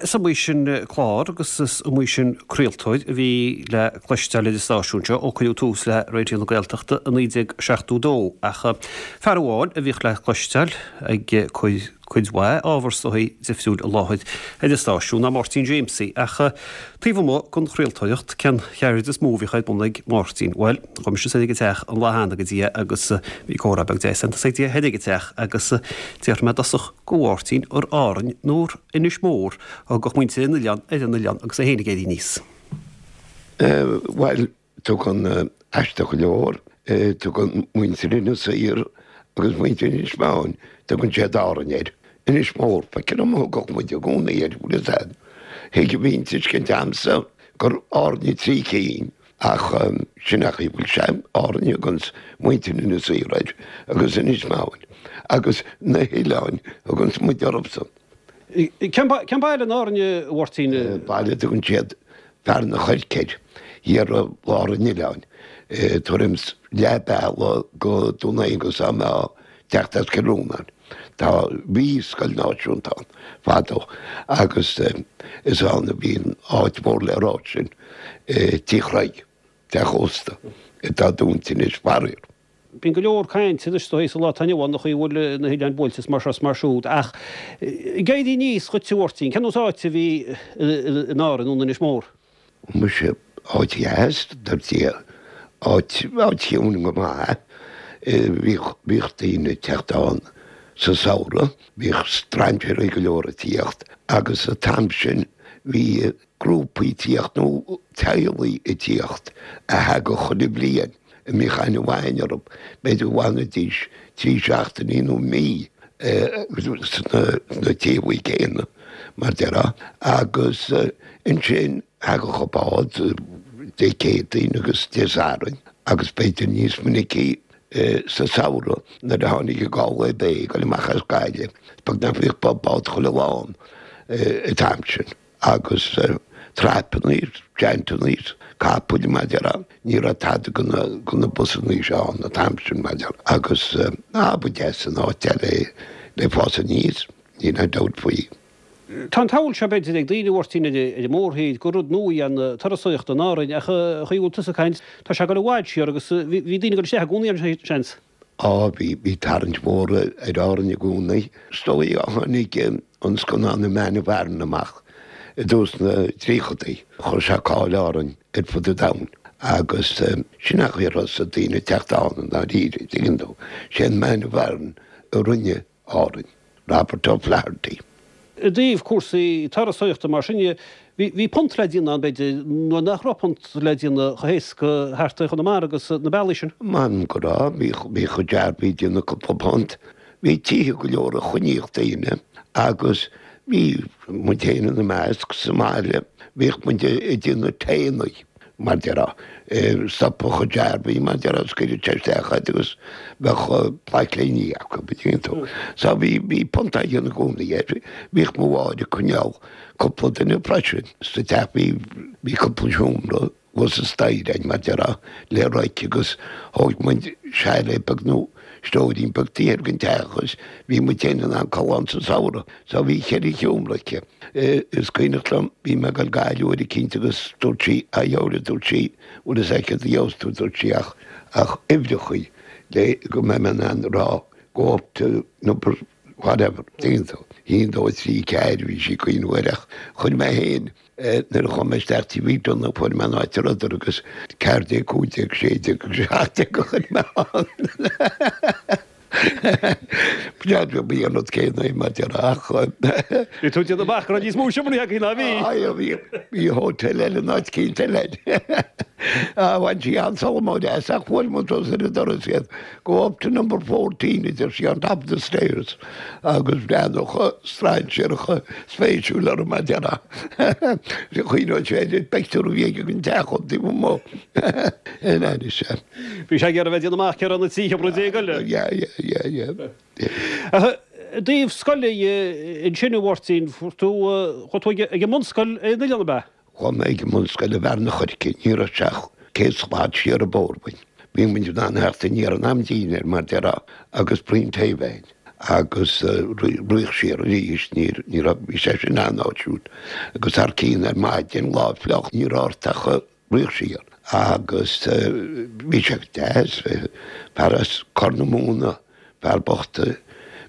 Bhuel, is iomaí sin clár agus is iomaí sin craoltóir a bhí le cloisteáil ar an stáisiún seo ó cuireadh tús le Raidió na Gaeltachta i 1972 ach fear amháin a bhíodh le cloisteáil ag cur cuid mhaith ábhar is dóigh difriúil i láthair ar an stáisiún ná Máirtín Jaimsie. Ach taobh amuigh den chraoltóireacht, cén cheird is mó a bhíodh ar bun ag Máirtín? Bhuel, chuaigh mise soir ag an teach an lá cheana go dtí é agus bhí comhrá beag deas déanta ag thoir ag an teach agus d'fhiafraigh mé i dtosach de Mháirtín ar Árainn nó ar Inis Mór a thugadh muintir an oileáin ar an oileán agus é féin ag éirí aníos. Bhuel, tugann, aisteach go leor, tugann muintir Inis Oírr agus muintir Inis Meáin, tugann siad Árainn air. Inis Mór, feictear dom a thugadh muid i gcónaí air, bhfuil fhios a'd. Thuig a mhiontuiscint a'msa gur Árainn i dtrí cinn. Ach sin é an chaoi a bhfuil sé, Árainn a thuganns muintir Inis Oírr air agus Inis Meáin agus na hoileáin a thuganns muid orthusan. Cén baile in Árainn, a Mháirtín? Baile a dtugann siad Fearann an Choirce air, thiar i lár an oileáin, tuairim 's leath bealaigh go Dún Aonghasa dá mbeifeá ag teacht as Cill Rónáin. Tá, bhí scoil náisiúnta ann fadó agus is ann a bhí an áit mhór le rá sin, Tigh Chreig, teach ósta, atá dúnta anois, faraor. Bíonn go leor cainte anois is dóigh sa lá atá inniu ann an chaoi a bhfuil na hoileáin buailte is mar seo is mar siúd ach ag éirí aníos dhuit a Mháirtín, cén nós áite a bhí in Árainn nó in Inis Mór? Muise, áit dheas, dar Dia, áit, áit chiúin go maith. Bhíodh, bhíodh daoine ag teacht ann sa samhradh, bhíodh strainséirí go leor ag tíocht agus an t-am sin bhí grúpaí ag tíocht nó teaghlaigh ag tíocht a thagadh chuile bhliain a mbíodh aithne mhaith againn orthu, b'fhéidir go bhfanfaidís trí seachtainí nó mí sna teaghlaigh céanna, mar déarfá, agus ansin thagadh an bád Dé Céadaoin agus Dé Sathairn agus b'fhéidir níos minicí sa samhradh nuair a tháinig an Galway Bay ag dul amach as Gaillimh, beag nach mbíodh bád chuile lá ann an t-am sin. Agus traipeanna, jeainteanna, capaill, mar déarfá, ní raibh tada de na busanna seo ann an t-am sin, mar déarfá. Agus á, ba deas an áit é le fás aníos, níl aon dabht faoi. Tá an tsamhail seo, b'fhéidir, ag daoine, a Mháirtín, ar an mórthír, gur rud nua í an turasóireacht in Árainn, ach an chaoi a bhfuil tusa ag caint, tá sé ag dul i bhfad siar agus bhí daoine ag dul isteach i gcónaí ann, seans. Á, bhí, bhí tarraingt mhór ar Árainn i gcónaí. Is dóigh ó tháinig an scannán The Man of Aran amach i dtús na dtríochadaí, chuir sé cáil Árainn ar fud an domhain agus sin an chaoi a thosaigh daoine ag teacht ann i ndáiríre, tuigeann tú. Sé an Man of Aran a rinne Árainn, Robert O'Flaherty. I dtaobh cúrsaí turasóireachta mar sin dhe, bhí punt le déanamh ann, b'fhéidir, nuair nach raibh punt le déanamh chomh héasca thart ar Chonamara agus na bealaí sin. M'anam go raibh, bhíodh chuid dearbhaí ag déanamh cúpla punt. Bhí tithe go leor a choinníodh daoine agus bhí muid féin ina measc sa mbaile, bhíodh muid ag déanamh taenna. mar déarfá, stopadh an dearbhaí, mar déarfá, scaoileadh sé isteach iad agus bheadh plaic-léiní acu, an dtuigeann tú. So bhí, bhí punt á dhéanamh i gcónaí air. Bhíodh mo mháthair ag coinneáil cúpla duine freisin sa teach, bhí, bhí cúpla seomra thuas an staighre againn, mar déarfá, le raic agus thóg muid chalet beag nó stóirín beag taobh thiar den teach agus bhí muid féin in ann codladh ann sa samhradh. So bhí cheithre sheomra aici. Is cuimhneach liom, bhí mé ag dul go Gaillimh uair eicínt agus dúirt sí, a Dheora, dúirt sí, bhfuil fhios agat céard a gheobhas tú, dúirt sí, ach, ach uimhreachaí le go mbeidh mé in ann a rá go up to number whatever, tuigeann tú. Haon, dó, trí, ceathair, bhí sí ag cuimhneamh air ach chuir mé féin, nuair a chuaigh mé isteach Tigh Mhic Donagh fuair mé an áit a rabhadar agus 14, 15, 16 agus 17 a chuir mé ann. B'fhéidir bhí an rud céanna é mar déarfá ach. Bhí tú ag déanamh amach go raibh níos mó seomraí agaibh ná bhí. Aye, bhí, bhí hotel eile in áit eicínt eile. Bhain sí an-tsalamóid as ach bhuail muid os ar an doras iad. Go up to number 14 a deir sí on top of the stairs agus bhreathnódh strainséireacha spéisiúil orm mar déarfá. Chuimhneodh sé ar an bpictiúr a bhí aige den teach ón taobh amuigh. In ainnis é. Bhí sé ag iarraidh a bheith ag déanamh amach cé raibh na 13 sheomra eile. Yeah, yeah, yeah, yeah. Ach i dtaobh scoile ansin a Mháirtín, fuair tú, chuaigh tú ag an mbunscoil ar an oileán ab ea? Chuaigh mé ag an mbunscoil i bhFearann an Choirce, ní raibh sé ach 100 slat siar an bóthar uainn. Bhí muid in ann theacht aniar in am dinnéir, mar déarfá, agus braon tae a bheith againn. Agus rith siar arís, ní raibh, bhí sé sin an-áisiúil. Agus thar cionn ar maidin, lá fliuch, ní raibh ort ach rith siar. Agus bhí sé deas, fear as Corr na Móna, fear bocht,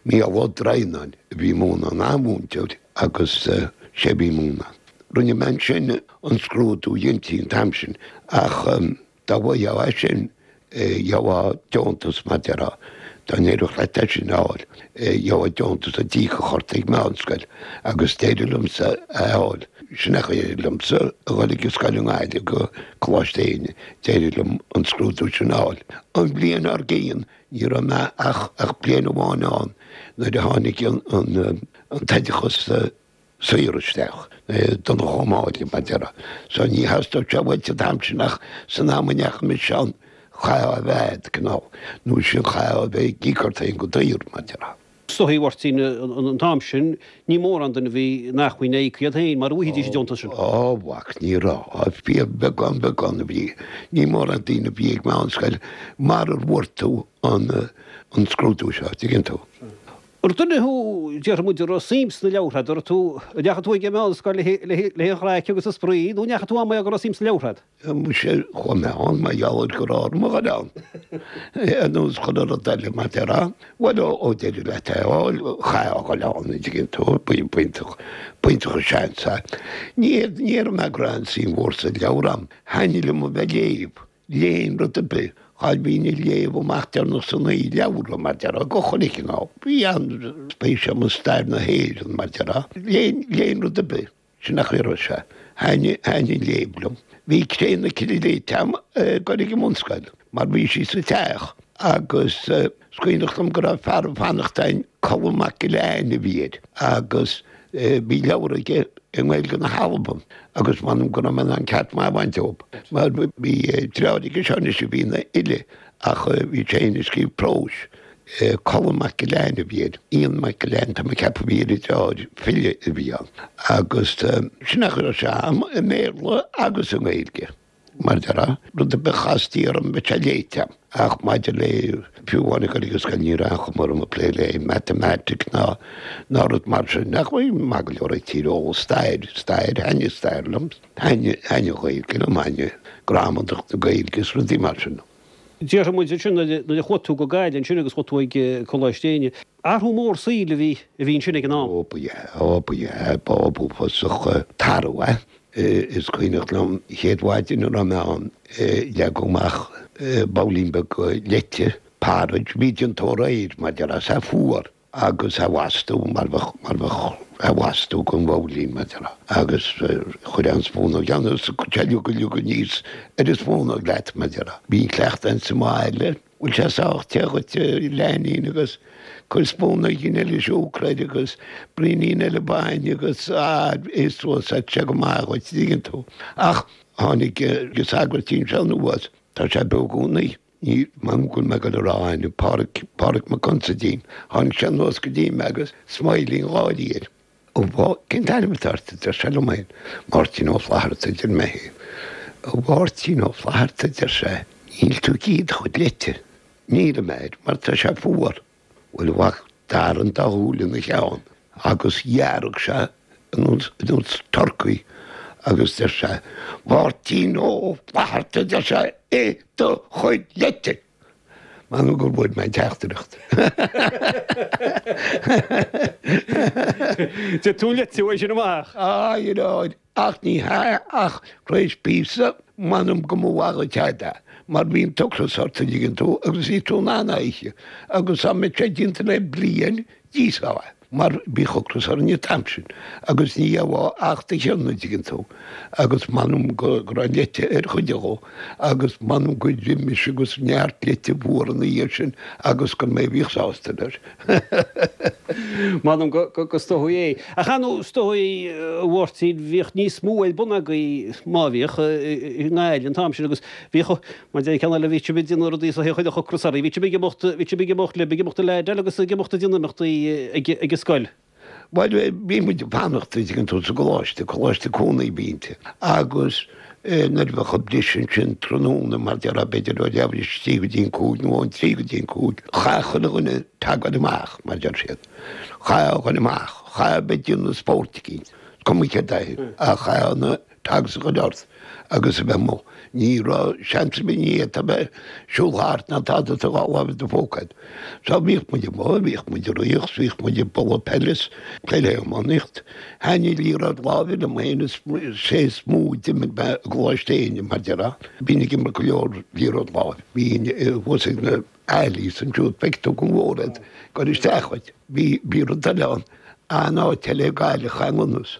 Mícheál Ó Droighneáin a bhí ag múineadh, an-mhúinteoir agus sé a bhí ag múineadh. Rinne mé ansin an scrúdú, dheintí an t-am sin, ach Dá bhfaighfeá é sin, gheofá deontas mar déarfá, dá n-éireodh leat é sin a fháil, gheofá deontas a d'íocfadh ort ag meánscoil agus d'éirigh liomsa é a fháil. Sin é a d'éirigh liomsa a dhul ag an scoil i nGaillimh go Coláiste Éinne, d'éirigh liom an scrúdú sin a fháil. An bhliain dár gcionn, ní raibh mé ach bliain amháin ann nuair a tháinig an t-oideachas, saor isteach, Donnchadh Ó Máille, mar déarfá. So ní theastódh sé uait an t-am sin ach san am a ndeachaigh mise ann, chaithfeá a bheith a'd, cineál, nó sin chaithfeá a bheith ag íoc ort féin go daor, mar déarfá. Is dóigh, a Mháirtín, an t-am sin, ní mórán duine a bhí in acmhainn a íoc iad féin mar a bhfaighidís an deontas sin. Ó, mhac, ní raibh, fíorbheagán, beagán a bhí. Ní mórán daoine a bhí ag meánscoil marar bhfuair tú an, an scrúdú seo, dtuigeann tú. Ar duine thú, déarfaidh muid, a raibh suim sna leabhartha agat, an raibh tú, an ndeachaigh tú ag an meánscoil le haghaidh an chraic agus an spraoi nó an ndeachaigh tú ann mar go raibh suim sna leabhartha agat? Muise, chuaigh mé ann mar gheall ar go raibh orm a dhul ann. Ar nós chuile rud eile, mar déarfá. Bhuel, ó d'éirigh leat é a fháil, chaithfeá a dhul ann, an dtuigeann tú, b'iontach, b'iontach an seans é. Ní, ní raibh mé go raibh aon suim mhór sa leabhar a'm. Thaitnigh liom a bheith ag léamh. Léinn rud ar bith. Cháil bhínn ag léamh amach deireanach san oíche, leabhra, mar déarfá, go chuile chineál. Bhí an-spéis agam i stair na hÉireann, mar déarfá. Léinn, léinn rud ar bith. Sin é an chaoi a raibh sé. Thaitnigh, thaitnigh an léamh liom. Bhí Cré na Cille léite agam ag dul ag an mbunscoil, mar bhí sí sa teach agus is cuimhneach liom go raibh fear ag fanacht againn, Colm Mac Giolla Eáin a bhí air, agus Bhí leabhar aige i nGaeilge na hAlban agus m'anam go raibh mé in ann ceart maith a bhaint dóibh. Mar bhí deartháir aige seo anois a bhí ina fhile ach bhí sé féin ag scríobh próis. Colm Mac Giolla Eáin a bhí air. Ian Mac Giolla Eáin tá mé ag ceapadh a bhí ar an deartháir, file a bhí ann. Agus sin é a raibh sé a'm i mBéarla agus i nGaeilge. Mar déarfá, rud ar bith a chastaí orm bheadh sé léite a'm. Ach maidir le, fiú amháin ag dul ag an scoil ní raibh aon chuma orm ag plé le matamaitic ná ná rud mar sin. Ach bhí maith go leor ag tíreolas, stair, stair, thaitnigh stair liom, thaitnigh, thaitnigh an Ghaeilge liom, thaitnigh gramadach na Gaeilge is rudaí mar sin. Déarfaidh muid ansin nuair a chuaigh tú go Gaillimh ansin agus chuaigh tú ag Coláiste Éinne, athrú mór saoil a bhí a bhí ansin ag an am. Ó ba ea, ó ba ea, ba b'uafásach t-athrú é. Is cuimhneach liom an chéad mhaidin a raibh mé ann, leagadh amach babhlaín beag leite, porridge, bhí déanta aréir, mar déarfá, is é fuar agus é lasta mar bheadh, mar bheadh é lasta den bhabhlaín, mar déarfá, agus chuirfeá an spúnóg ann agus sé liug liug aníos ar an spúnóg leat, mar déarfá. Bhí an cleachtadh a'inn sa mbaile. Bhfuil sé sách te dhuit, a leainín, agus cuir spúnóigín eile siúcra air agus braoinín eile bainne agus ah, ith suas é, tá sé go maith dhuit, dtuigeann tú. Ach tháinig an sagairtín seo anuas, tá sé beo i gcónaí, ní, m'anam go bhfuil mé ag dul a rá a ainm, Páraic, Páraic Mac Consaidín, tháinig sé anuas go dtí mé agus smailín gáirí air. Ó bhá, cén t-ainm atá ort? a deir sé liom féin. Máirtín Ó Flatharta, a deir mé féin. A Mháirtín Ó Flatharta, a deir sé, níl tú ag ithe do chuid leite. Nílim, adeir, mar tá sé fuar. Bhuel, a mhac, d'fhair an dá shúil ina cheann agus dhearg sé ar nós turcaí agus deir sé, Máirtín Ó Flatharta, a deir sé, ith do chuid leite! M'anam gur bhfuair mé an teachtaireacht. D'ith tú an leite uaidh sin amach. Á, you know, ach ní hea, ach tar éis píosa, m'anam go mba mhaith dhuit é, mar bhí an t-ocras ort, an dtuigeann tú, agus bhí tú in ann é a ithe. Agus dá mbeadh sé déanta le bliain, d'íosfá é. Mar bhíodh ocras orainn an t-am sin agus ní gheofá ach do chion, an dtuigeann tú, agus m'anam go raibh an leite ar chuid dhó agus m'anam gur ith mise agus neart leite fuar ina dhiaidh sin agus gur mé a bhíodh sásta leis. M'anam go is dóigh é. Ach ar ndóigh, is dóigh, a Mháirtín, bhíodh níos mó ar bun agaibh, má bhíodh, i nGaillimh an t-am sin agus bhíodh, Mar deir ceann eile, bhí sibh ag déanamh rudaí so chuirfeadh ocras oraibh. Bhí sibh ag imeacht, bhí sibh ag imeacht libh, ag imeacht ag leaideáil agus ag imeacht ag déanamh imeachtaí ag ag an scoil. Bhuel, bhí muid ag fanacht, an dtuigeann tú, sa gcoláiste, coláiste cónaí a bhí inti, agus. Nuair a bheadh an briseadh ansin tráthnóna, mar déarfá, b'fhéidir ó leathuair tar éis a trí go dtí an cúig nó ón trí go dtí an cúig, chaithfeadh chuile dhuine teagmháil amach, mar deir siad. Chaithfeá a dhul amach, chaithfeá a bheith ag déanamh spóirt eicínt, is cuma céard é, ach chaithfeá na tags a chur ort agus a bheith amuigh. Ní raibh seans ar bith, ní fhéadfá a bheith ag siúl thart ná tada is do dhá láimh i do phóca agat. So bhíodh muid amuigh, bhíodh muid ag rith is bhíodh muid ag bualadh peile is peile iománaíocht. Thaitnigh liathróid láimhe liom féin is sé is mó a d'imir mé i gColáiste Éinne mar déarfá. Bhínn ag imirt go leor liathróid láimhe. Bhínn thuas ag na alleys ansiúd, feicfidh tú go mór iad ag cur isteach dhuit. Bhí, bhí rud eile ann, an áit eile ag Gaillimh, cha nGunnas.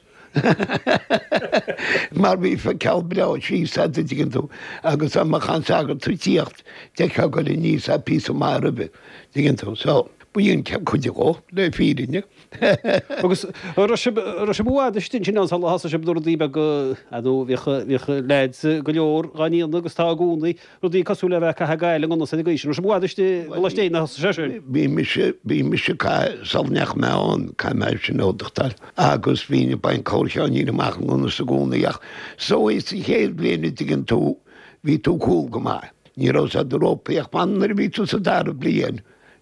Mar bhí feiceáil breá síos a'd a' dtuigeann tú agus dá mbeadh an sagart ag tíocht d'fheicfeá ag goil aníos é píosa maith roimhe, dtuigeann tú. So, b'in cuid dhó, le fírinne. Agus raibh sibh, raibh sibh i bhfad istigh ansin ann sula thosaigh sibh na rudaí beaga, ar ndóigh bhíodh, bhíodh leaids go leor dhá ndéanamh agus tá i gcónaí, Rudaí cosúil le bheith ag caitheamh gail i nGunnas ar an gcaoi sin. Raibh sibh i bhfad istigh i gColáiste Éinne a thosaigh sé sin. Bhí mise, bhí mise caith, sula ndeachaigh mé ann, caithfidh mé sin a admháil, agus bhínn ag baint corrcheainnín amach i nGunnas i gcónaí ach so sa chéad bhliain a dtuigeann tú, bhí tú cúl go maith. Ní raibh siad rópaí ach man nuair a bhí tú sa dara bliain,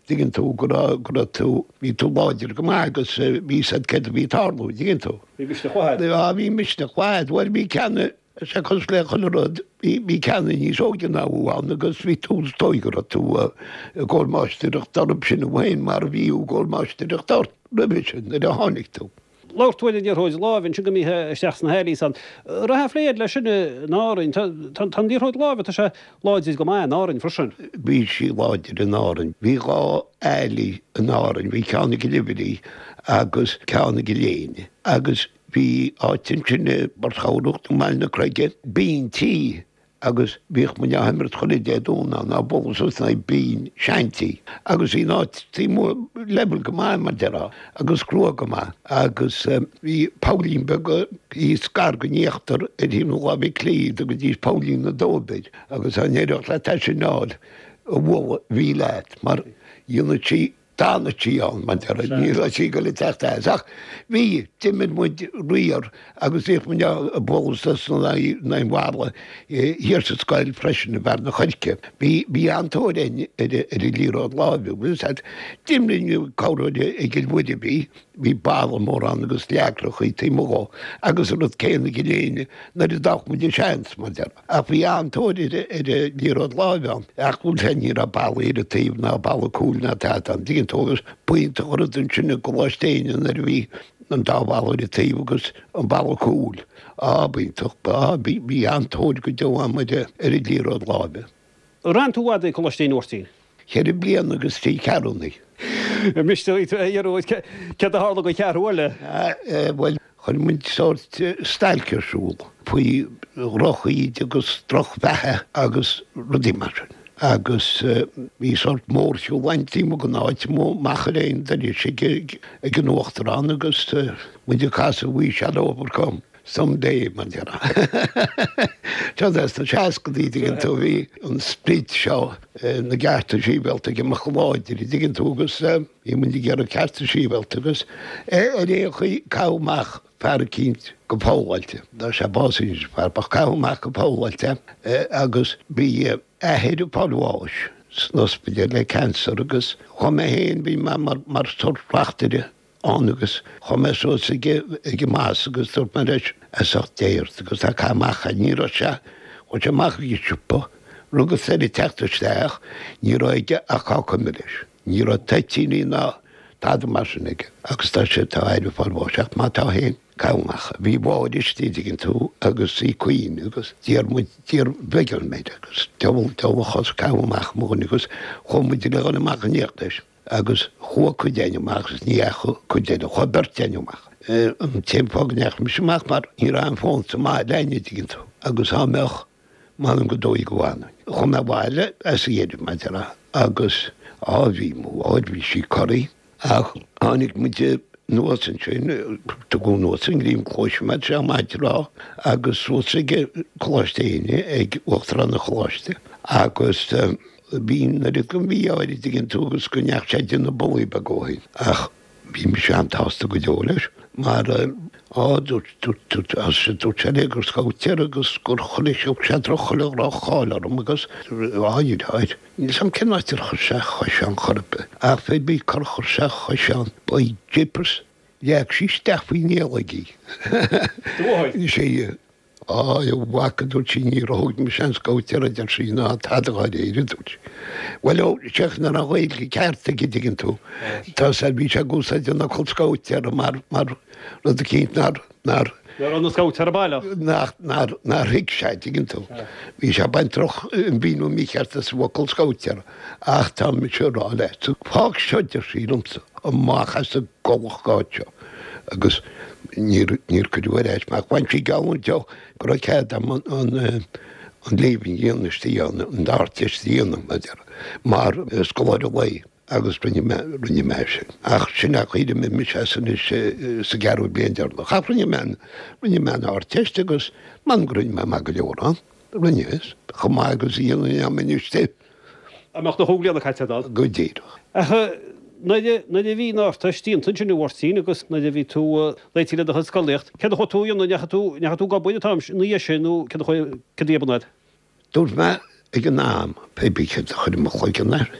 dtuigeann tú, go raibh, go raibh tú, bhí tú láidir go maith agus bhí 'fhios a'd céard a bhí ag tarlú, dtuigeann tú. Bhí misneach mhaith a'd. Á, bhí misneach mhaith a'd, bhuel bhí ceann, Sea, cosúil le chuile rud, bhí ceann níos óige ná thú ann agus bhí tú, is dóigh go raibh tú i gcomhair máistreacht orthu sin thú féin mar a bhí i gcomhair máistreacht ort roimhe sin nuair a tháinig tú. Labhair tú ar an liathróid láimhe ansin go mbítheá isteach sna alleys ann. Raibh plé agat leis sin in Árainn. Tá an liathróid láimhe, tá sé láidir go maith in Árainn freisin. Bhí sí láidir in Árainn. Bhí 2 alley in Árainn, bhí ceann i gCill Uimhrí agus ceann i gCill Éinne agus Bhí áit ansin i bPort Chabhrach nó Baile na Creige, bíntí agus bhíodh muid á himirt chuile Dé Domhnaigh ann, á bualadh suas in aghaidh bín, seintí. Agus bhí an áit taobh amuigh level go maith mar déarfá agus crua go maith agus bhí poillín beag thíos gar don íochtar ar thaobh na láimhe clí, tugaidís poillín na dóib air agus dá n-éireodh leat é sin a fháil a bhualadh bhí leat mar dhéanadh sí D'fhanadh sí ann, mar déarfá, ní raibh sí ag dul ag teacht as. Ach bhí, d'imir muid riar agus bhíodh muid ag bualadh suas in aghaidh an bhalla thiar sa scoil freisin i mBearna Choirce. Bhí, bhí an-tóir againn ar an liathróid láimhe, bhfuil fhios a'd. D'imir muid corruair i gCill Mhuire, bhí, bhí balla mór ann agus leagrachaí taobh amuigh dhó agus an rud céanna i gCill Éinne nuair a d'fhaigheadh muid an seans, mar déarfá. Ach bhí an-tóir ar an liathróid láimhe ann. Ach bhuel sea, ní raibh ballaí ar an taobh ná balla cúil ná tada ann. Tuigeann tú, agus b'iontach an rud ansin i gColáiste Éinne nuair a bhí an dá bhalla ar an taobh agus an balla cúil. Á, b'iontach, á, bhí, bhí an-tóir go deo ann ar an liathróid láimhe. Ar fhan tú i bhfad i gColáiste Éinne a Mháirtín? Cheithre bliana agus trí ceathrúna. Miste duit a Ghearóid, céard a tharla don cheathrú eile? Bhuel, chuir muid sórt stailc ar siúl faoi dhroch-íde agus drochbheatha agus rudaí mar sin. Agus bhí sórt mórshiúl ann taobh amuigh den áit, amach ar aon doras ag an uachtarán agus muid ag casadh We shall overcome. Some day, mar déarfá. Seo sna seascadaí, dtuigeann tú, bhí an sprid seo na gcearta sibhialta ag imeacht go láidir, dtuigeann tú, agus bhí muid ag iarraidh cearta sibhialta agus ar aon chaoi caitheadh amach fear eicínt go fogháilte. Tá sé básaithe anois, fear, ach caitheadh amach go fogháilte agus bhí athair ag fáil bháis san ospidéal le cancer agus chuaigh mé féin, bhí mé mar sórt reachtaire ann agus chuaigh mé suas ag an Mass agus dúirt mé leis, as ucht Dé ort agus tá caith amach é. Ní raibh sé, chuaigh sé amach ag an siopa, rugas air ag teacht isteach, ní raibh aige ach cáca milis. Ní raibh toitíní ná tada mar sin aige agus tá sé, tá a athair ag fáil bháis ach má tá féin, caith amach é. Bhí Máire istigh, an dtuigeann tú, agus í ag caoineadh agus d'iarr muid, d'iarr bheag orm air agus diabhal, diabhal a chos, caith amach mo dhuine agus chuaigh muid le dhul amach in éineacht leis. Agus chuaigh cuid againn amach agus ní dheachaigh cuid eile, chuaigh beirt againn amach. An t-aon fáth go ndeachaigh mise amach mar ní raibh aon fón sa mbaile againn, an dtuigeann tú, agus dá mbeadh, m'anam gur dóigh go bhfanfainn. Chuaigh mé abhaile as a dheireadh, mar a déarfá, agus á bhí mo mháthair, bhí sí corraithe, ach tháinig muid anuas ansin, tugadh anuas an Ghrianchlóis mé, sé maith a rá, agus suas ag Coláiste Éinne, ag Uachtarán an Choláiste, agus. Bhí an oiread den mhí-ádh air, an dtuigeann tú, agus go ndeachaigh sé ag déanamh bullaí beag ó shin. Ach bhí mise an-tsásta go deo leis. Mar, á, dúirt, dúirt, dúirt, dúirt sé léi gur scabhtéir agus gur chuirfeadh sé droch, chuile dhroch-cháil orm agus, á, a dheartháir, níl 's a'm cén áit ar chuir sé a chois ann chor ar bith, ach fé bith cár chuir sé a chois ann, by jeepers, leag sí isteach faoin eallaigh í. Do mháthair? Sea. Á, a mhac, a dúirt sí, níor thóg mise an scabhtéir, a deir sí, ná tada dháiríre, a dúirt sí. Bhuel, ó, seach nach raibh an Ghaeilge ceart aige, an dtuigeann tú. Tá sé, bhí sé ag úsáid an fhocal scabhtéir mar, mar rud eicínt nár, nár. Nach raibh na scabhtéara baileach. Nach, nár, nár thuig sé, an dtuigeann tú. Bhí sé ag baint droch, an mhíniú mícheart as an bhfocal scabhtéir. Ach tá mise ag rá leat, fág seo, a deir sí liomsa, amach as an gcollach áit seo. Agus níor, níor cuireadh ar ais mé ach bhain sí geallúint de go raibh cead agam an, an, an Leaving a dhéanamh istigh ann, an Ardteist a dhéanamh, mar a déarfá, mar scoláire lae agus rinne mé, rinne mé sin. Ach sin é an chaoi ar imigh mise as anois sa gceathrú bliain deireanach. Ach rinne mé an, rinne mé an Ardteist agus m'anam go rinne mé maith go leor ann. Rinne, chomh maith agus a dhéanfainn dá mbeinn istigh. Dá mbeadh do chúig bliana caite agat ann. Go díreach. Ach nuair a bhí an Ardteist déanta ansin a Mháirtín agus nuair a bhí tú réitithe le do chuid scolaíocht, céard a chuaigh tú a dhéanamh? Ndeachaigh tú, ndeachaigh tú ag obair an t-am ina dhiaidh sin nó céard a chuaigh, céard a bhí ar bun agat? Dúirt mé ag an am, pé bí céard a chuir i mo chloigeann air,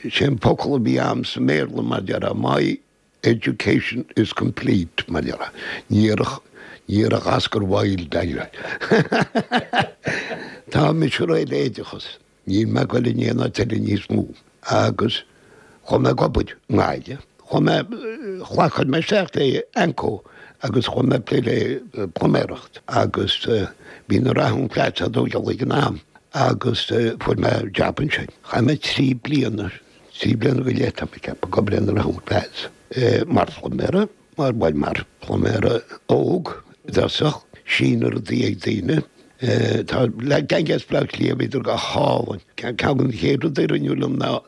sé an focal a bhí a'm sa mBéarla mar déarfá, my Education is complete, mar déarfá. Ní déarfadh Oscar Wilde é. Tá mise réidh le oideachas. Níl mé ag goil in aon áit eile níos mó. Agus chuaigh mé ag obair i nGaillimh. Chuaigh mé, ghlac mé isteach le Anco agus chuaigh mé ag plé le pluiméireacht. Agus bhí na Rathún Flats á dtógáil ag an am agus fuair mé jab ansin. Chaith mé 3 bliana 3 bliana go leith tá mé ag ceapadh ag obair ar na Rathún Flats mar phluiméara, mar, bhuel, mar phluiméara óg i dtosach, síneadh rudaí ag daoine. Tá gang as Bleá Cliath, bhíodar go hálainn. Ceann de na chéad rudaí a rinneadh liom ná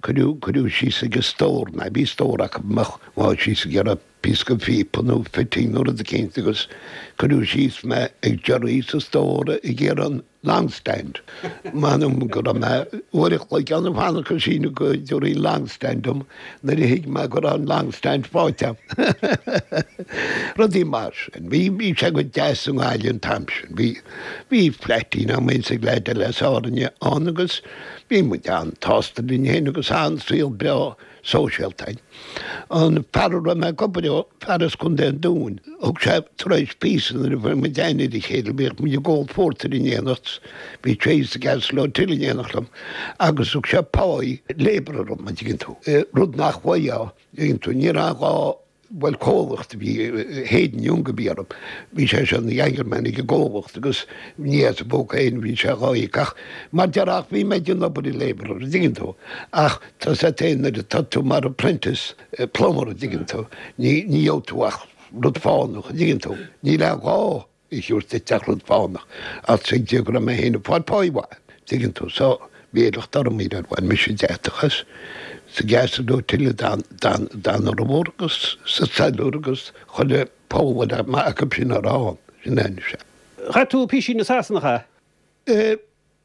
cuireadh, cuireadh síos ag an stór mé, bhí stór acu amach, bhí síos ag iarraidh píosa phíopa nó fitting nó rud eicínt agus cuireadh síos mé ag giorraí sa stór ag iarraidh an long stand. M'anam go raibh mé uair a chloig ann ag fanacht go síneadh go dtabharfaí an long stand dom nuair a thuig mé go raibh an long stand faighte agam. Rudaí mar sin. Bhí, bhí sé go deas i nGaillimh an t-am sin. Bhí, bhí flaitín agam féin is ag leaid eile as Árainn ann agus bhí muid an-tsásta linn féin agus an-saol breá sóisialta againn. An fear a raibh mé ag obair leo, fear as Contae an Dúin, thug sé tar éis píosa nuair a fuair muid aithne ar a chéile, bhíodh muid ag ól pórtair in éineacht, bhí sé sa gCastle Hotel in éineacht liom, agus thug sé pá labourer dom, an dtuigeann tú, rud nach bhfaighfeá, an dtuigeann tú, ní raibh aon ghá bhuel comhlacht a bhí, Hayden Young a bhí orthu, bhí sé seo ina ghangerman ag an gcomhlacht agus ní as a phóca féin a bhí sé dhá íoc ach mar déarfá ach bhí mé ag déanamh obair labourer, an dtuigeann tú, ach tá a fhios agat féin nuair atá tú mar apprentice plumber, an dtuigeann tú, ní ní gheobhaidh tú ach rud fánach, an dtuigeann tú, níl aon ghá. a thabhairt duit ach rud fánach, ach tuigtear go raibh mé féin ag fáil páí mhaith, tuigeann tú, so bhí locht orm í ar bhain mise deatach as, sa gCastle Hotel a d'fhan formhór agus sa Cellar agus chuile poll a raibh acu sin a rá ann, sin é anois é. Chaith tú písín i Sasana, ea? Eh,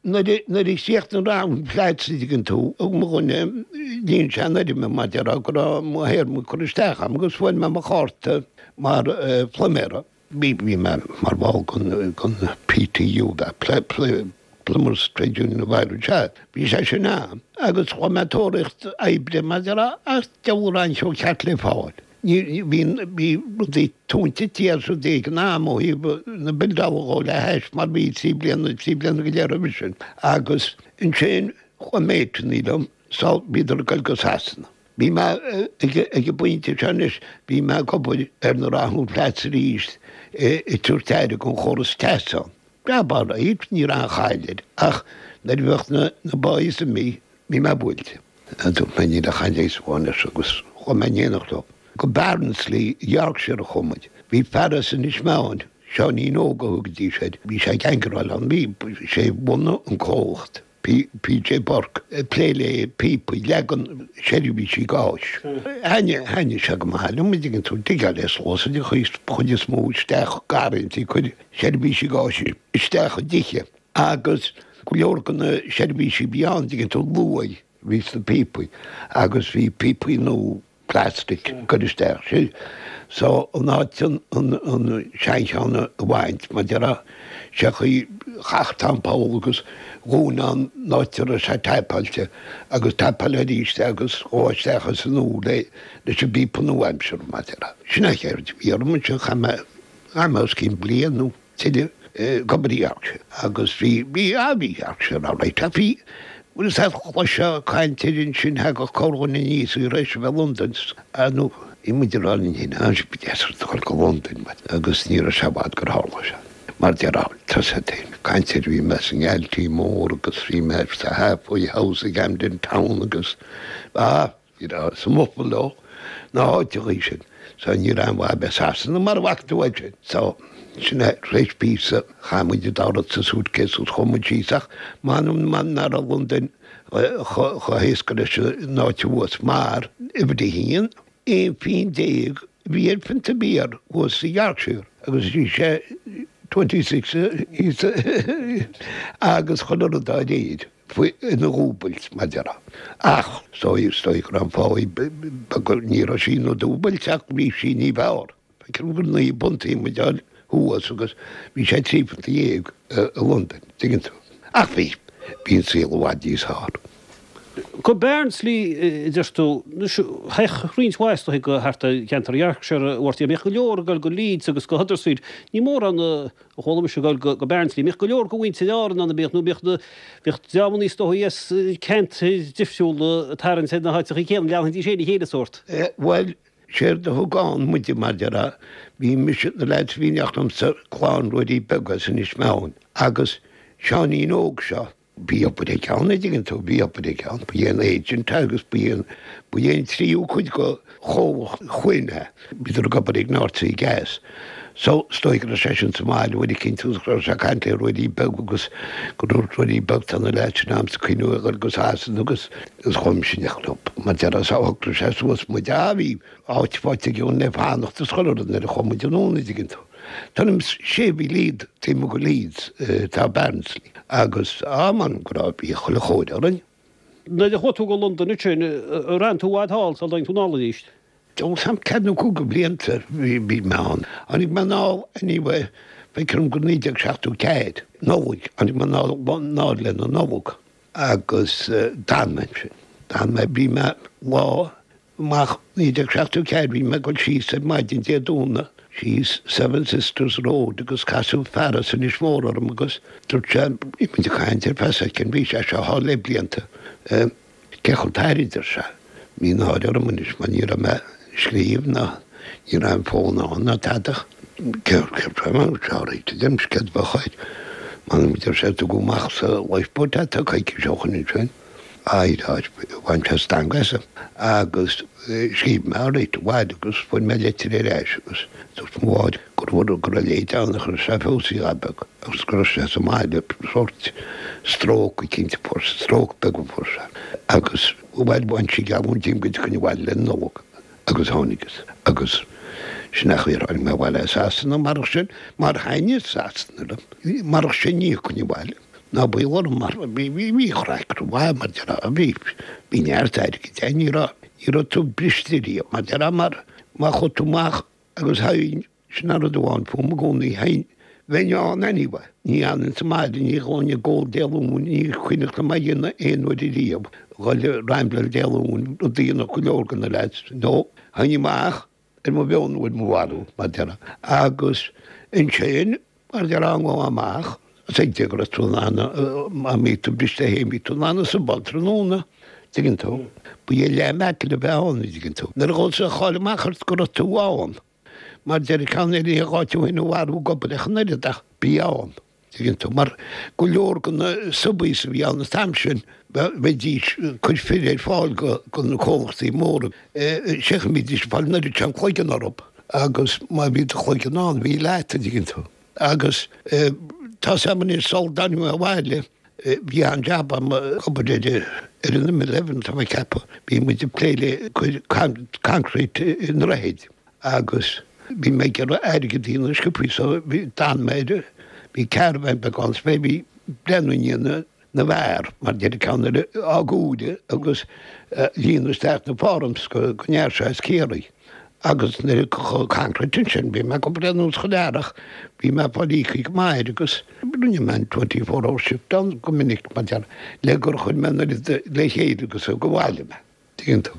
nuair a chríochnaigh Rathún Flats, an dtuigeann tú, thug mo dhuine, líon sé an fhoirm mar déarfá go raibh mo théarma curtha isteach agam agus fuair mé mo chárta mar phluiméara. Bhí mé mar bhall den PTU, Plumbers Trade Union of Ireland, sea, bhí sé sin ann agus chuaigh mé ag tóraíocht oibre mar déarfá ach diabhal a raibh an seó ceart le fáil. Ní, bhí, bhí rudaí túinte tíos rudaí ag an am ó thaobh na bildeála dhó le hais mar bhí 3 bliana, 3 bliana go leith roimhe sin. Agus ansin chuaigh méiteannaí liom, so bhíodar ag goil go Sasana. Bhí mé ag, ag an bpointe seo anois, bhí mé ag obair ar na Rathún Flats arís ag tabhairt aire don chóras teasa ann. Jab alright, ní raibh aon chaill air, ach nuair a bheadh na, na boys imithe, bhí mé buailte. Dúirt mé níl ach aon leigheas amháin air seo agus chuaigh mé in éineacht leo. Go Barnsley, Yorkshire a chuaigh muid. Bhí fear as Inis Meáin, Seáinín Óg a thugaidís air, bhí sé ag gangeráil ann, bhí sé a bhunaigh an comhlacht, PJ Burke, ag plé le píopaí, leagan seirbhísí gáis. Thaitnigh sé go maith liom, an dtuigeann tú, digeáil é suas an chuid is mó isteach garrantaí, cur seirbhísí gáis isteach i dtithe. Agus go leor de na seirbhísí a bhí ann, an dtuigeann tú, luaidh a bhí sna píopaí agus bhí píopaí nua. Plastic ag cur isteach sin. So in áit an seancheann a bhaint, mar déarfá, sé chaoi chaith Tom poll agus dhún an áit a raibh sé taipeáilte agus taipeáil arís é agus ghabh isteach as an úr é leis an bpíopa nua-aimseartha, mar déarfá. Sin an cheird a bhí orm ansin, chaith mé, chaith mé os cionn bliain nó tuilleadh ag obair i Yorkshire agus bhí, bhí, ah bhí Yorkshire alright ach bhí, bhfuil fhios a'd chloisfeá caint air ansin, thagadh corrdhuine aníos tar éis a bheith i Londain, ah nó bhí muid ag rá linn féin, ah ba deas rud a dhul go Londain agus ní raibh sé i bhfad gur tharla sé. Mar déarfá, tá fhios a'd féin, caint air, bhí mé sa nGaltí Mór agus bhí mé sa Halfway House i gCamden Town agus, ah, Ní raibh sa mBuffalo na háiteachaí sin so ní raibh aon mhaith a bheith i Sasana mar a bhfaca tú é sin. So, sin é, tar éis píosa, chaith muid an dá rud sa suitcase agus chuaigh muid síos ach m'anam nach raibh Londain chomh héasca leis an áit thuas mar, uimhir a haon, 11 phingin a bhí ar phionta beer thuas i Yorkshire agus bhí sé 26 thíos agus chuile rud dá réir. faoi ina dhúbailt, mar déarfá. Ach is dóigh, is dóigh go raibh an fáidh beag, ní raibh sí ina dúbailt ach bhí sí ní b'fhearr. Feicim gur £9 a bhí muid a fháil thuas agus bhí sé £13 i Londain, tuigeann tú. Ach bhí, bhí an saol i bhfad níos fearr. Go Barnsley, a deir tú. Anois, théadh roinnt mhaith is dóigh go thart ar cheantar Yorkshire a Mháirtín. Bhíodh go leor ag dul go Leeds agus go Huddersfield. Ní mórán a chuala mise ag dul go Barnsley. Bhíodh go leor de mhuintir Árann ann, bíodh, nó bíodh na, bhíodh dreamanna is dóigh as ceantair difriúla ag tarraingt ar na háiteachaí céanna, leanfaidís féin a chéile sórt. Bhuel, séard a thug ann muide, mar déarfá, bhí mise, na leaids a bhí in éineacht liomsa, clann Ruairí Beag as Inis Meáin, agus Seáinín Óg seo, Bhí obair aige ann, a dtuigeann tú, bhí obair aige ann. Ba é an agent agus ba é an, ba é an tríú cuid de chomhlacht Chuinn é. Bhíodar ag obair ag North Sea Gas. So, is dóigh go raibh seisean sa mbaile uair eicínt agus go raibh sé ag caint le Ruairí Beag agus go ndúirt Ruairí Beag tá na leaids sin a'msa ag cuimhniú a dhul go Sasana agus agus chuaigh mise in éineacht leo. Mar déarfá so shocraigh sé suas muid. Ah, bhí áit faighte aige le fanacht is chuile rud nuair a chuaigh muid anonn, a dtuigeann tú. Tuairim is sé mhíle taobh amuigh de Leeds atá Barnsley agus á m'anam go raibh bhí chuile chóir orainn. Nuair a chuaigh tú go Londain ansin, ar fhan tú i bhfad thall sula dtáinig tú anall arís? Ó sam ceathair nó cúig de bhlianta bhí mé ann. Tháinig mé anall anyway feictear dom gur 1974, Nollaig, tháinig mé anall anall le na Nollag agus d'fhan mé ansin. D'fhan mé, bhí mé lá Amach 1974 bhí mé ag dul síos ar maidin Dé Domhnaigh síos Seven Sisters Road agus casadh fear as Inis Mór orm agus dúirt sé, bhí muid ag caint ar feadh soicind, bhí sé seo thall le blianta, cé chomh tair a deir sé. Bhí náire orm anois mar ní raibh mé ag scríobh ná ní raibh an fón ann ná tada. Cé raibh alright a deirim, céard a bheadh air? M'anam a deir sé, tugadh amach sa lifeboat é tá coicís ó shoin ansin. Bhain sé stangadh asam agus scríobh mé alright abhaile agus fuair mé litir ar ais agus dúirt mo mháthair go raibh go raibh leid ann ach raibh sé feabhsaithe a beag agus go raibh sé sa mbaile sórt stróc eicínt a fuair sé, stróc beag a fuair sé agus bhuel bhain sí geallúint díom go dtiocfainn abhaile le Nollaig agus tháinigeas agus sin é an chaoi ar tháinig mé abhaile as Sasana marach sin mar thaitnigh Sasana liom marach sin ní thiocfainn abhaile. Ná baol orm mar bhí bhí craic mhaith mar déarfá bhí bhí neart airgid ann ní raibh ní raibh tú briste riamh mar déarfá mar má chuaigh tú amach agus théinn sin an rud amháin fúm i gcónaí théinn bheinn ann anyway ní fhanfainn sa mbaile ní ghabhfainn ag ól Dé Luain ní cuimhneach liom a dhéanamh aon uair ariamh dhul ag rambláil Dé Luain rud a dhéanadh go leor de na lads no théinn amach ar mo mheon nó ar mo mharú, mar déarfá. Agus ansin, mar déarfá, an lá amach, is ag go raibh tú in ann, má bhí tú briste féin, bhí tú in ann a subáil tráthnóna, tuigeann tú. Ba é leath metal a bheith ann, tuigeann tú. Nuair a ghabh sé a cháil amach ort go raibh tú ann, mar deir ceann eile, ní gá tú féin a mharú ag obair ach an oiread ach bí ann. Tuigeann tú, mar go leor de na subbies a bhí ann an t-am sin, bheidís ag cur fir ar fáil do na comhlachtaí móra. Sé go mbídís ag fáil an oiread sin cloigeann orthu agus má bhí do chloigeann ann, bhí leat, an dtuigeann tú. Agus tá's a'm anois, sul dtáinig mé abhaile, bhí an-jab a'm ag obair ar ar an M11, tá mé ag ceapadh. Bhí muid ag plé le cur concrete i ndroichid. agus bhí mé ag iarraidh airgead a dhéanamh sciobthaí so bhí, d'fhan mé ar, bhí caravan beag ann so bhí breathnú i ndiaidh na. na bhfear, mar deir ceann eile, á gcúire agus líonadh isteach na forms go ndeachaigh sé as Ciarraí. Agus nuair a chomh concrete ansin, bhí mé ag obair anuas chuile earrach, bhí mé ag fáil íoctha go maith air agus rinne mé an 24 hour shift ann go minic mar deir, le gur chuir mé an oiread le chéile agus thug abhaile mé, tuigeann tú.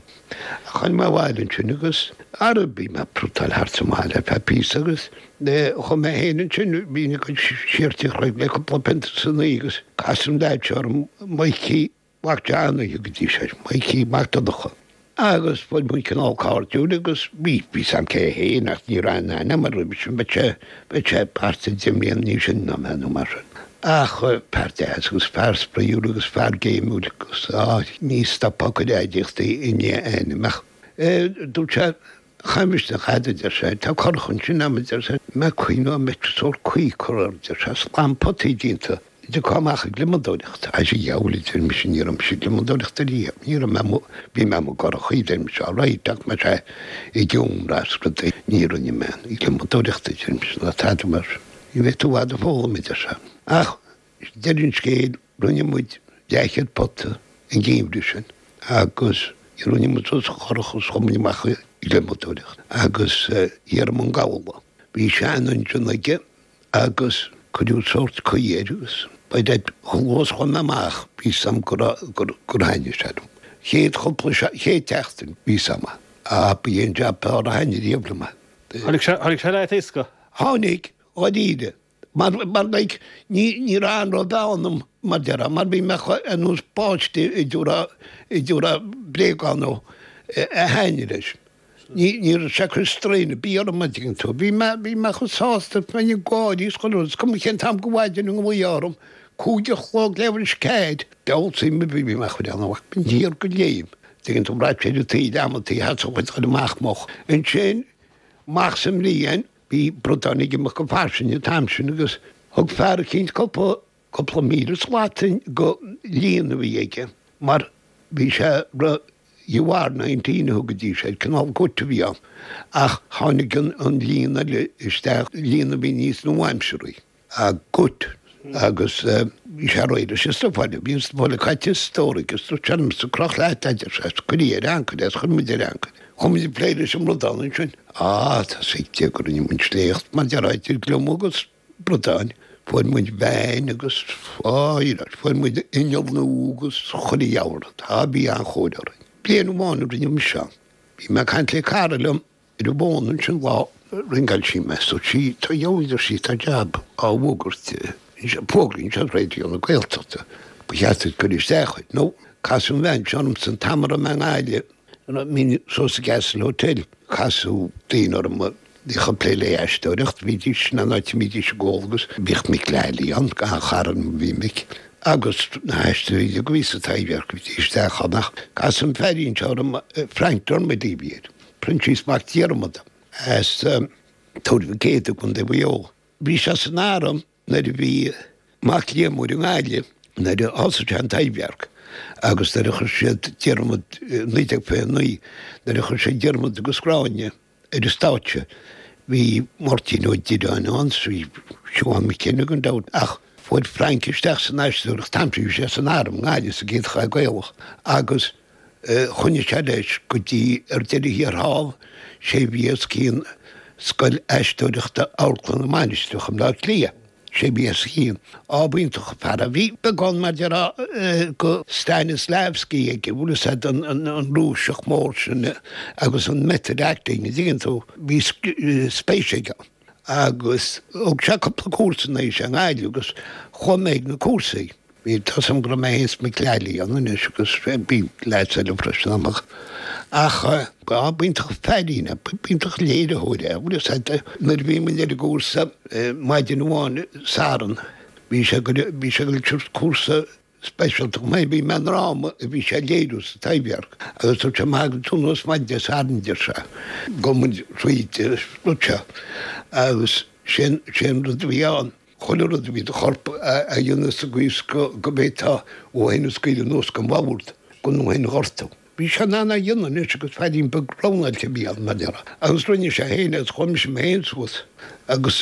Tháinig mé abhaile ansin agus ara bhí mé ag prútáil thart sa mbaile ar feadh píosa agus chuaigh mé féin ansin, bhínn ag goil siar Tigh Chnoic le cúpla pionta san oíche agus casadh an leaid seo orm, Mikey, Mac Johnny a thugaidís air, Mikey Mac Donncha. Agus fuair muid cineál cairdiúil agus bhí, bhí 's a'm cé hé féin ach ní raibh aon aithne a'm roimhe sin, bheadh sé, bheadh sé thart ar deich mbliana níos sine ná mé nó mar sin. Ach fear deas agus fear spraíúil agus fear géimiúil agus á, ní stopfá ag cur aidiachtaí i ndiaidh a ainm ach dúirt sé, Cha miste a dhath, a deir sé, tá curach ansin a'm, a deir sé, mé cuimhneamh an mbeadh sórt caoi curtha air, a deir sé, slám potaí déanta, dtiocfá amach ag gliomadóireacht. A dheabhail, a deir mise, ní raibh mise ag gliomadóireacht ariamh, ní raibh mé amuigh, bhí mé amuigh i gcurachaí, a deir mise, all right, ach mé sé i gceomra is rudaí, ní rinne mé aon ghliomadóireacht, a deir mise, ná tada mar sin. Ní bheidh tú i bhfad ag foghlaim, a deir sé. Ach deireadh an scéil, rinne muid leathchéad pota an geimhreadh sin agus rinne muid suas an churach agus chuaigh muid amach ag gliomadóireacht agus thiar i mBun Gabhla. Bhí sean-engine aige agus cuireadh sórt caoi air agus by that chomh luath is a chuaigh mé amach bhí 's a'm go raibh gur gur thaitnigh sé liom. Chéad chúpla chéad tseachtain bhí 's a'm ah ba é an jab b'fhearr a thaitnigh riamh liom é. Tháinig sé tháinig sé leat éasca? Tháinig, dháiríre. Mar, mar like, ní, ní raibh anró ionam, mar déarfá, mar bhí mé ar nós páiste a dtabharfá, a dtabharfá bréagán dó a thaitnigh leis. Ní, ní raibh sé ag cur strain ar bith orm, an dtuigeann tú. Bhí mé, bhí mé chomh sásta, bheinn ag gáirí is chuile rud, is cuma cén t-am de mhaidin a nglaofá orm, 5 a chlog leathuair tar éis 4, deabhal suim ar bith, bhí mé ag cur ann, bhínn thiar de léim, tuigeann tú, bhraith sé ar an taobh liom, an taobh theas a chuid chuir amach moch. Ansin, amach sa mbliain, Bhí bradáin ag imeacht go fairsing an t-am sin agus thug fear eicínt cúpla, cúpla 1,000 slat de líon a bhí aige mar bhí sé re the war 19 a thugaidís air, cineál gut a bhí ann ach tháinig an, an líon eile isteach, líon a bhí níos nua-aimsearthaí. a gut agus bhí sé réidh leis an stuif eile. Bhí an stuif eile caite sa stór aige agus dúirt sé liomsa, croch leat é, a deir sé, is cuir í ar ancaire agus chuir muid ar ancaire. Chuaigh muid ag plé leis an mbradán ansin. Á, tá 's aige go rinne muid sléacht mar déarfá idir gliomach agus bradáin. Fuair muid veain agus, á, fuair muid inneall nua agus chuile dheabhal rud. Á, bhí an-chóir orainn. Bliain amháin a rinne mise ann. Bhí mé ag caint le cara liom Ar an bhfón ansin lá, ringeáil sí mé, so sí, tá a deir sí, tá jab á bhfógairt, fógraí anseo ar Raidió na Gaeltachta, ba cheart duit cur isteach air. Nó, casadh an bhean seo ormsa an t-am a raibh mé i nGaillimh, bhínn suas sa gCastle Hotel, casadh daoine orm a bhíodh ag plé le aisteoireacht, bhídís in an áit a mbídís ag ól agus bhíodh Mick Lally ann, an-chara liom a bhí Mick, agus na haisteoirí uilig a bhí sa Taibhdhearc, bhídís isteach ann ach casadh an feairín seo orm, Frank Dermody a bhí air. Proinsias Mac Diarmada as Tuar Mhic Éadaigh i gContae Mhaigh Eo. Bhí sé san arm nuair a bhí Mac Liammóir i nGaillimh nuair a thosaigh sé an Taibhdhearc agus nuair a chuir siad Diarmaid, 1929, nuair a chuir siad Diarmaid agus Gráinne ar an stáitse bhí Máirtín Ó Direáin ann, bhí Siobhán McKenna gan dabht ach fuair Frank isteach san aisteoireacht an t-am sin, bhí sé san arm i nGaillimh sa gCéad Chath Gaelach agus Choinnigh sé leis go dtí ar deireadh thiar thall, sé a bhí os cionn Scoil Aisteoireachta Amharclann na Mainistreach i mBleá Cliath. Sé a bhí os a chionn. Á, b'iontach an fear é. Bhí beagán, mar déarfá, de Stanislavski aige, bhfuil fhios a'd, an Rúiseach mór sin agus an method acting, an dtuigeann tú. Bhí spéis aige ann. Agus thug sé cúpla cúrsa nuair a bhí sé i nGaillimh agus chuaigh mé ag na cúrsaí. Bhí tá 'fhios a'm go raibh mé féin is Mick Lally ann anois agus bhí leaids eile freisin amach. Ach á, b'iontach an feairín é, b'iontach an léiritheoir é, bhfuil fhios a'd. Nuair a bhí muid ar an gcúrsa maidin amháin Satharn, bhí sé ag bhí sé ag tabhairt cúrsa speisialta chomh maith, bhí mé i ndráma a bhí sé a léiriú sa Taibhdhearc agus dúirt sé má thagann tú anuas maidin Dé Sathairn, deir sé, gabhfaidh muid thríd an rud seo agus sé an rud a bhí ann. Chuile rud a bhí i do chorp a dhéanamh sa gcaoi is go bhféadfá thú féin a scaoileadh anuas den bhord gan thú féin a ghortú. Bhí sé in ann é a dhéanamh anois agus feairín beag roghnáilte a bhí ann, mar déarfá. Agus rinne sé féin agus chuaigh mise mé féin suas agus.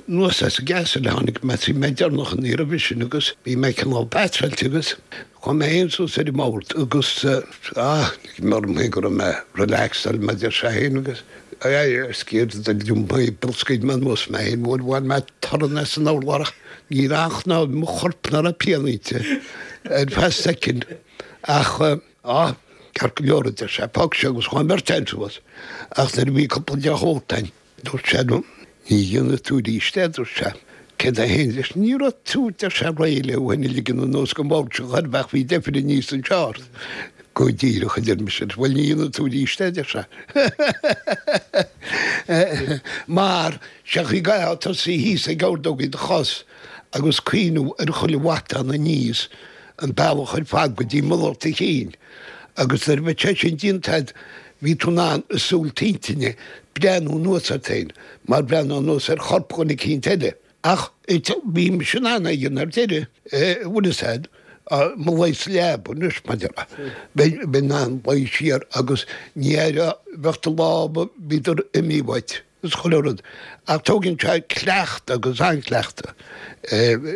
Anuas as an gCastle a tháinig mé, bhí mé deireanach an iarraidh roimhe sin agus bhí mé cineál batráilte agus chuaigh mé féin suas ar an mbord agus ah, lig mé orm féin go raibh mé relaxed mar a deir sé féin agus scaoil mé anuas mé féin, bhuail bhain mé torann as an urlár ach ní raibh aon chnámh i mo chorp nach raibh pian inti ar feadh soicind ach ah, ceart go leor a deir sé, fág seo agus chuaigh an bheirt againn suas ach nuair a bhí cúpla deoch ólta againn Dúirt sé liom, Ní dhéanfaidh tú arís é, a dúirt sé. Céard é féin leis? Ní raibh tú, a deir sé, réidh le thú féin a ligean anuas den bhord seo chor ar bith ach bhí deifir aníos anseo ort. Go díreach, a deir mise. Bhuel, ní dhéanfaidh tú arís é, a deir sé. Mar, sé an chaoi go gcaithfeá tosaí thíos ag ordógaí do chos agus cuimhniú ar chuile mhatán aníos an bealach ar fad go dtí mullach do chinn agus nuair a bheadh sé sin déanta agat bhí tú in ann i súil t'intinne breathnú anuas ort féin mar bhreathnófá anuas ar chorp dhuine eicínt eile. Ach bhí mise in ann é a dhéanamh ar deireadh, bhfuil fhios a'd, mo luí sa leaba anois, mar a déarfá, bheinn in ann luí siar agus ní aireofá, bheadh do lámha, bhíodar imithe uait. Is chuile rud. Ach tógann sé cleachtadh agus an-chleachtadh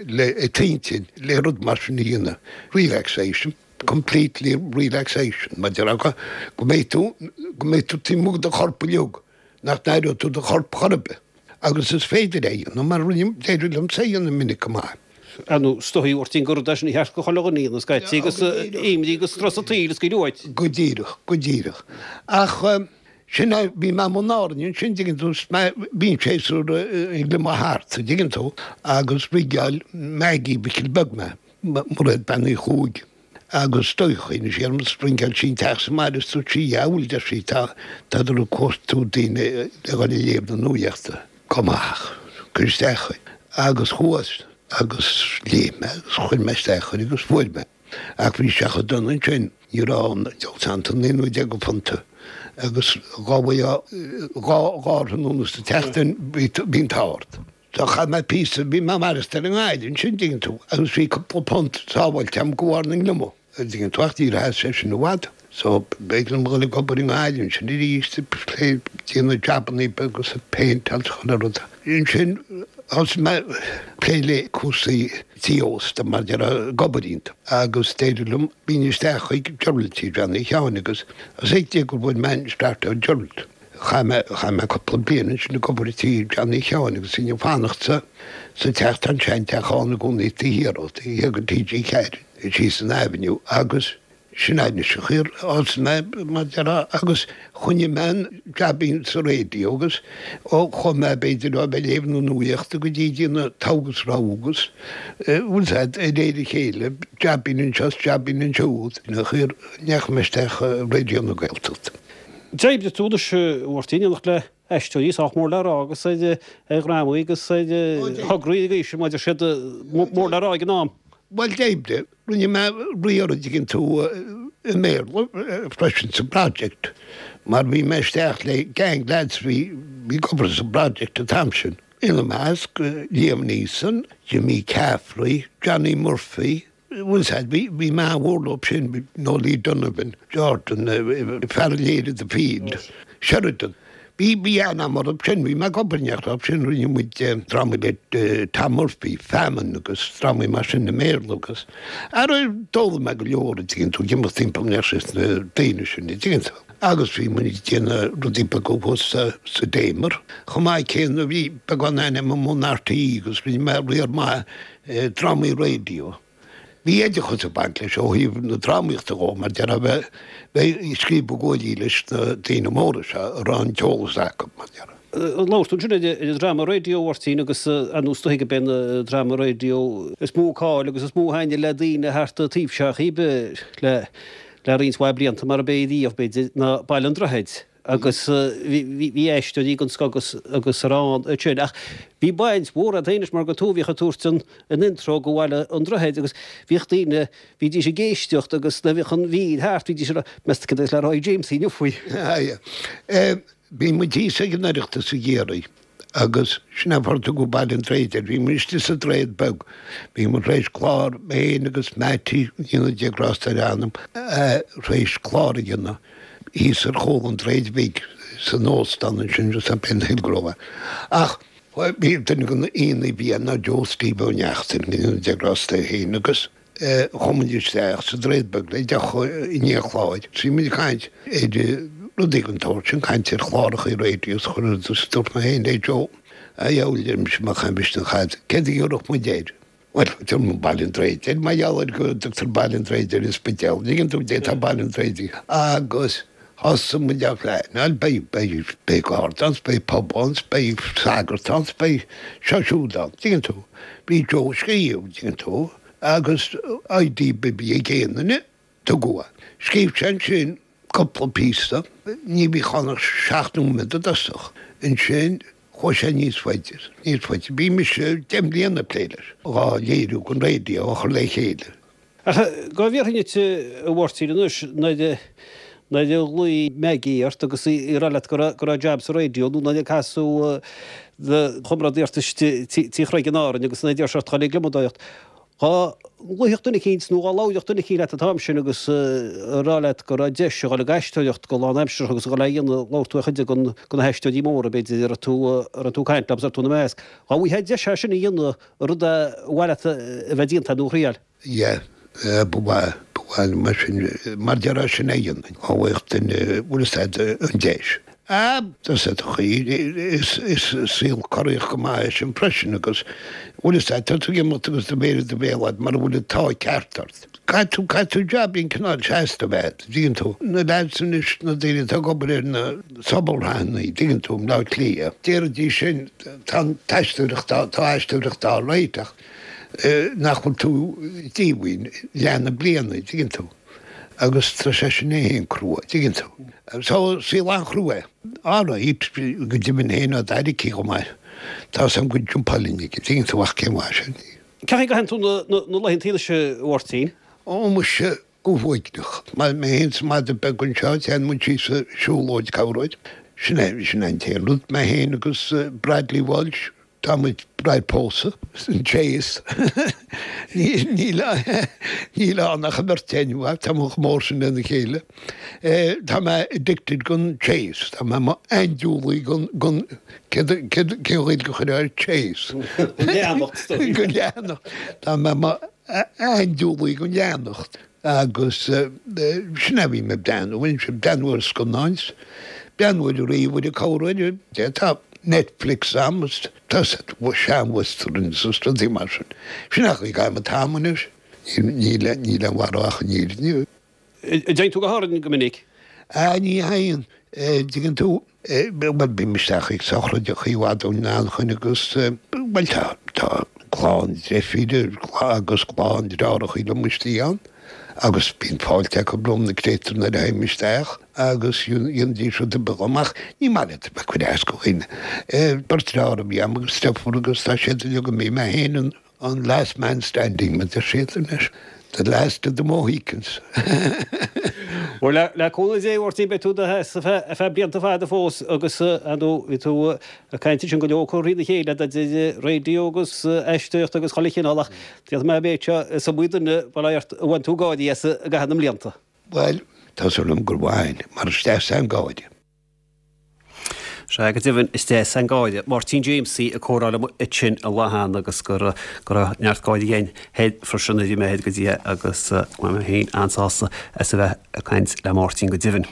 le t'intinn le rud mar sin a dhéanamh. Relaxation. Completely relaxation. Mar a déarfá go mbeidh tú, go mbeidh tú taobh amuigh de do chorp uilig, nach n-aireoidh tú do chorp chor ar bith. Agus is féidir é a dhéanamh, mar rinne, d'éirigh liomsa é a dhéanamh minic go maith. Ar ndóigh, is dóigh, a Mháirtín, gur rud é sin a cheart do chuile dhuine a dhéanamh scaití agus imní agus strus an tsaoil a scaoileadh uait. Go díreach, go díreach. Ach. Sin é, bhí mé i mbun Árainn ansin, dtuigeann tú, is mé, bhí an séasúr ag gliomach thart, an dtuigeann tú, agus rigeáil Maggie Mhicil Beag mé, Mairéad Bean Uí Chuaig, agus do chuimhnigh sí orm is rinceáil sí an teach sa mbaile is dúirt sí, dheabhail, deir sí, tá, tádar ag cuartú daoine le dhul ag léamh na nuaíochta. Go maith, cuir isteach é. Agus chuas agus léigh mé agus chuir mé isteach air agus fuair mé. Ach bhí sé chomh dona ansin, ní raibh ann ach an 19 phunta agus dhá bhfaighfeá dhá dhá thráthnóna sa tseachtain bhí an t-ádh ort. So chaith mé píosa, bhí mé ag maireachtáil i nGaillimh ansin, dtuigeann tú, agus bhí cúpla punt sábháilte agam de bharr na ngliomach, dtuigeann tú, ach níor sheas sé sin i bhfad. So b'éigean dom a dhul ag obair i nGaillimh ansin arís, ag plé, déanamh jabannaí beaga is ag péinteáil is chuile rud. Ansin thosaigh mé ag plé le cúrsaí tí ósta mar a déarfá ag obair iontu agus d'éirigh liom, bhínn isteach chuig Gerald tí Johnny Sheáin agus is ag gur bhain mé an start ó Gerald. Chaith mé, chaith mé cúpla bliain ansin ag obair i tí Johnny Sheáin agus bhínn ag fanacht sa, sa teach, tá an seanteach ann i gcónaí taobh thiar ó, taobh thiar de TG4, síos an Avenue agus Sin é anois an chaoi ar thosaigh mé, mar a déarfá, agus choinnigh mé an jabín sa raidió agus ó chuaigh mé b'fhéidir ó bheith ag léamh na nuaíochta go dtí déanamh togha agus rogha agus, bhfuil 's a'd, de réir a chéile, jabín anseo is jabín ansiúd, an chaoi ar ndeachaigh mé isteach i Raidió na Gaeltachta. D'oibrigh tú anois, a Mháirtín, in éineacht le aisteoirí sách mór le rá agus ar dhrámaí agus ar thograí ag aois, mar a deir siad, mór le rá ag an am. Bhuel, d'oibrigh. Rinne mé riar, an dtuigeann tú, i mBéarla freisin sa bProject mar bhí mé isteach le gang lads bhí ag obair sa bProject an t-am sin. Ina measc, Liam Neeson, Jimmy Caffrey, Johnny Murphy, bhfuil 's a'd, bhí bhí mé an-mhór leo sin, Noelie Donovan, Jordan, fear a léirigh The Field, Sheridan. Bhí, bhí an-am orthu sin, bhí mé ag obair in éineacht leo sin, rinne muid drámaí le Tom Murphy, Famine agus drámaí mar sin i mBéarla agus ara d'fhoghlaim mé go leor, an dtuigeann tú, ag imeacht timpeall leis na daoine sin, an dtuigeann tú. Agus bhí muid ag déanamh rudaí beaga thuas sa, sa Damer. Chomh maith céanna bhí beagán aithne agam ón RTÉ agus rinne mé riar maith drámaí raidió. Bhí oideachas ag baint leis ó thaobh na drámaíochta dhó, mar déarfá bheith bheith ag scríobh i gcomhairlí leis na daoine móra seo a raibh an t-eolas acu, mar déarfá. Labhair tú ansin ar an dráma raidió, a Mháirtín, agus ar ndóigh is dóigh gurb é an dráma raidió is mó cáil agus is mó a thaitnigh le daoine thart an taobh seo chíbe le le roinnt mhaith blianta, mar ab é riamh, b'fhéidir, ná Baile an Droichid. agus bhí aisteoirí den scoth agus ar ann ansin. Ach bhí baint mhór agat féin leis mar gur tú a bhíodh ag tabhairt an an intro go Bhaile an Droichid agus bhíodh daoine, bhídís ag éisteacht agus nuair a bhíodh an mhír thart bhídís ag rá, meas tú cad é le rá ag Jamesie inniu faoi? Bhí muid thíos ag an Oireachtas i gCiarraí agus sin é an fáth ar tugadh Baile an Droichid air. Bhí muid istigh sa Droichead Beag. Bhí muid tar éis clár, mé féin agus Mattie, go ndéana Dia grásta ar a anam, tar éis clár a dhéanamh thíos ar chúl an Droichid Bhig san óstán ansin, just up in Hillgrove. Ach. Bhí duine de na aíonna a bhí ann ná Joe Steve Ó Neachtain, go ndéana Dia grásta air féin, agus chuaigh muid isteach sa Droichead Beag le deoch i ndiaidh an chláir. Bhí muid ag caint ar rudaí den tsórt sin, caint ar chláracha raidió is chuile rud agus dúirt mé féin le Joe, a dheabhail, a deir mise, má chaithim an chaid, céard a ghiorrfadh muid air? Bhuel, tabharfaidh muid Baile an Droichid air, mar gheall ar go dtugtar Baile an Droichid ar an Spidéal, an dtuigeann tú, tá Baile an Droichid agus thosaigh muid á phleanáil, beidh, beidh, beidh garda ann, beidh pub ann, beidh sagart ann, beidh seo siúd ann, tuigeann tú. Bhí Joe ag scríobh, tuigeann tú, agus idea a bhí ag aon duine, tugadh é. Scríobh sé ansin cúpla píosa, ní bhíodh ann ach 7 nóiméad i dtosach. Ansin chuaigh sé níos faide, níos faide. Bhí mise 10 mbliana ag plé leis, dhá léiriú don raidió a chur le chéile. Ach dhá bhfiafraínn díot a Mháirtín anois, nuair a nuair a ghlaoigh Maggie ort agus í ag rá leat go raibh go raibh jab sa raidió nó nuair a casadh do chomrádaí ort istigh Tí Chreig in Árainn agus nuair a d'iarr sé ort dhul ag gliomadóireacht, Dhá nglaofadh duine eicínt nó dhá labhródh duine eicínt leat an t-am sin agus a rá leat go raibh deis a dhul ag aisteoireacht go lánaimseartha agus a dhul á dhéanamh, labhair tú ar chuid de na haisteoirí móra, b'fhéidir, a raibh tú, a raibh tú ag caint leo agus a raibh tú ina measc. Dhá bhfaighfeá deis é sin a dhéanamh, rud a mhaith leat a bheith déanta nó a thriail? Yeah, ba mhaith, ba mhaith liom mar sin, mar déarfá sin a dhéanamh, dhá bhfaigheadh duine, bhfuil fhios a'd, an deis. Ah, tá sé do chaoi, is saol corraíoch go maith é sin freisin agus bhfuil fhios a'd, tá tú ag imeacht agus do mhéar i do bhéal a'd mura bhfuil an t-ádh ceart ort. Caithfidh tú, caithfidh tú jaibín cineál seasta a bheith a'd, dtuigeann tú. Na lads anois, na daoine atá ag obair ar na sobalshraitheanna, dtuigeann tú, i mBleá Cliath, déarfaidís sin, tá an t-aisteoireacht, tá aisteoireacht á réiteach, nach bhfuil tú díomhaoin leath na bliana, dtuigeann tú. Agus tá sé sin é féin crua, dtuigeann tú. So, saol an-chrua é. Alright, go deimhin féin á d'aire cé chomh maith tá 's a'm go jumpáileann aige, dtuigeann tú, ach cén mhaith sin. Cén chaoi a gcaitheann tú na laethanta anois, a Mháirtín? Ó, muise, go huaigneach. Mé féin is an madadh beag anseo, téann muid síos ar siúlóid corruair. Sin é, sin é an t-aon rud. Mé féin agus Bradley Walsh, Tá muid réidh pósadh san Chase. Níl níl ann ach an bheirt againn, tá muid chomh mór sin lena chéile. Tá mé addicted gon Chase, tá mé mo aindiúlaí gon gon cén cén Ghaeilge a chuirfeá ar Chase? Gon leanacht. Gon leanacht. Tá mé mo aindiúlaí gon leanacht. Agus sin é a bhím ag breathnú, bhím ag breathnú ar scannáin, breathnú ar an ríomhaire corruair, tá Netflix a'm is tá sean-westerns is rudaí mar sin. Sin é an chaoi a gcaithim an t-am anois. Níl aon mhaith ach an fhírinne. An dtéann tú go hÁrainn go minic? Ah, ní théann. Dtuigeann tú? Bhuel, bím isteach ag sochraid i bhfad ón Anchain agus, bhuel, tá, tá clann deirfíre agus clann deartháireacha liom istigh ann agus bíonn fáilte acu romham na créatúir nuair a théim isteach agus dhéanfaidís rud ar bith dhom ach ní maith leat a bheith ag cur as do dhaoine. Beirt deartháir a bhí a'm agus deirfiúr agus tá siad uilig imithe, mé féin an An last man standing, mar deir siad anois. The last of the Mohicans. Bhuel, le cúnamh Dé, a Mháirtín, beidh tú i do sheasamh ar feadh blianta fada fós agus, ar ndóigh, bhí tú ag caint ansin go leor curtha thrína chéile idir raidió agus aisteoireacht agus chuile chineál ach déarfaidh mé an méid seo, is iomaí duine, bail ó Dhia ort, a bhain tú gáirí as i gcaitheamh na mblianta. Bhuel, tá súil agam gur bhain, mar is deas é an gáire. Sea, go deimhin, is deas an gáire. Máirtín Jamesie ag comhrá liom ansin an lá cheana agus go raibh neart gáire againn thoir freisin nuair a bhí mé thoir go dtí é agus go raibh mé féin an-sásta as a bheith ag caint le Máirtín go deimhin.